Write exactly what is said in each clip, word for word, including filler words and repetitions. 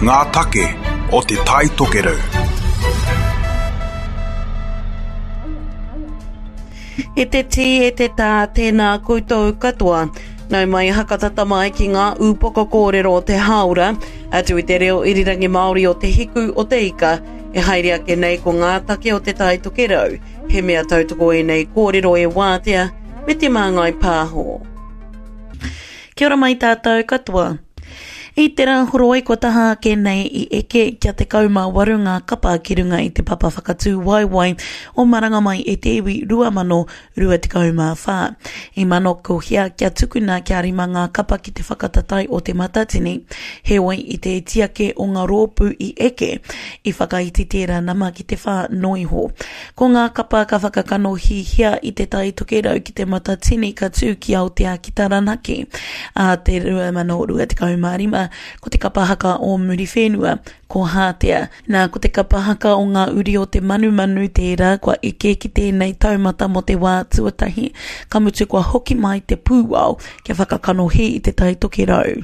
Ngā take o Te Tai Tokerau. E te tī, e te tā, tēnā koutou katoa. Nau mai hakatata mai ki ngā ūpoko kōrero o te hāora, atu i te reo irirangi Māori o Te Hiku o te Ika, e haere ake nei ko ngā take o Te Tai Tokerau. He mea tautoko ēnei kōrero e Wātea me Te Māngai Pāho. Kia ora mai tātou katoa. I te rā horoi kua taha ake nei i eke kia tekau mā waru ngā kapa ki runga i te papa whakatū waewae o Maranga Mai e te Iwi rua mano rua tekau mā whā. I manokohia kia tukuna kia rima ngā kapa ki te whakatatae o Te Matatini, heoi i te iti ake o ngā rōpū i eke, i whakaiti tērā nama ki te whā noa iho. Ko ngā kapa ka whakakanohihia i Te Tai Tokerau ki Te Matatini ka tū ki Aotea ki Taranaki ā te rua mano rua tekau mā rima, ko te kapa haka o Muriwhenua, ko Hātea. Nā, ko te kapa haka o ngā uri o te manumanu tērā kua eke ki tēnei taumata mō te wā tuatahi, ka mutu kua hoki mai te pūao kia whakakanohi i Te Tai Tokerau.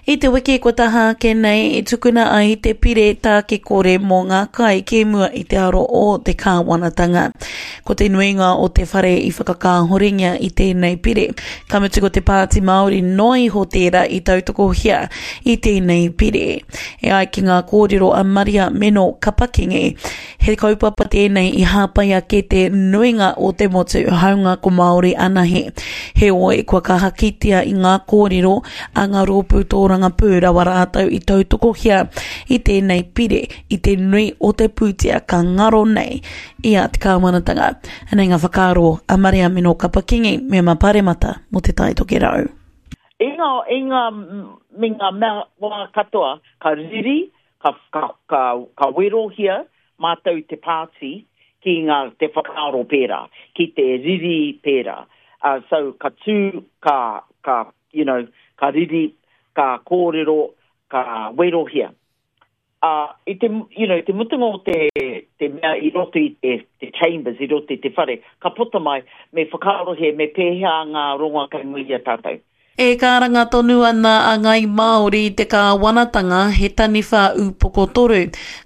I te wiki kua taha ake nei i tukuna ai te pire tāke kore mō ngā kai ki mua i te aro o te kāwanatanga. Ko te nuinga o te whare i whakakāhorengia i tēnei pire, ka mutu ko te Pāti Māori noa iho tērā i tautokohia i tēnei pire. E ai ki ngā kōrero a Maria Meno Kapakingi, he kaupapa tēnei i hāpai ake te nuinga o te motu, hāunga ko Māori anahe. Heoi, kua kaha kitea i ngā kōrero a ngā rōpū tōrangapū rawa rātou i tautokohia i tēnei pire i te nui o te pūtea ka ngaro nei i a te kāwanatanga. Anei ngā whakaaro a Maria Meno Kapakingi, mema paremata mō Te Tai Tokerau. I ngā, i ngā, me ngā mea wā katoa, ka riri, ka, ka, ka, ka werohia mātou te pāti ki ngā, te whakaaro pērā, ki te riri pērā. Uh, so, ka tū, ka, ka, you know, ka riri, ka kōrero, ka werohia. Uh, i te, you know, te mutunga o te, te mea i roto i te, te chambers, i roto i te whare, ka puta mai, me whakaarohia, me pēhea ngā rongoa kei mua i a tātou. E karanga tonu ana a Ngāi Māori i te kāwanatanga he taniwha ūpoko toru.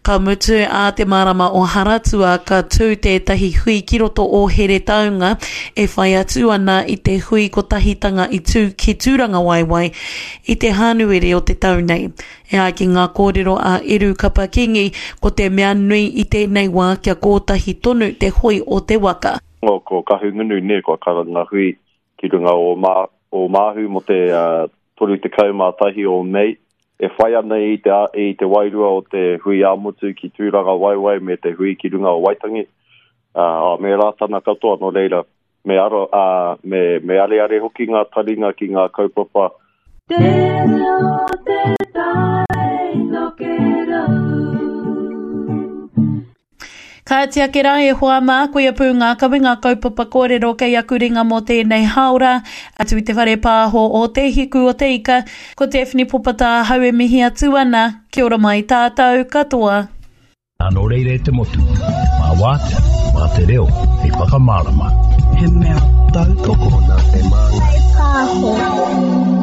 Ka mutu ā te marama o Haratua ka tū tētahi hui ki roto o Heretaunga e whai atu ana i te hui kotahitanga i tū ki Tūrangawaewae i te Hānuere o te tau nei. E ai ki ngā kōrero a Eru Kapa Kingi, ko te mea nui i tēnei wā kia kōtahi tonu te hoi o te waka. Ko Kahungunu nē, kua karanga hui ki runga o Mā, o Māhu mō te uh, toru tekau mā tahi o Mei, e whai ana i te, i te wairua o te hui ā-motu ki Tūrangawaewae me te hui ki runga o Waitangi, uh, me Rātana katoa, nō reira, me, aro, uh, me, me areare hoki ngā taringa ki ngā kaupapa. Te reo te tai tokerau. Kāti ake rā e hoa mā, koia pū ngā kawenga kaupapa kōrero kei aku ringa mō tēnei hāora, atu i te whare pāho o Te Hiku o Te Ika, ko Daphne Popata ahau e mihi atu ana, kia ora mai tātou katoa. Nā nō reira e te motu, mā Wātea, mā te reo, hei whakamārama. He mea tautoko nā Te Māngai Pāho.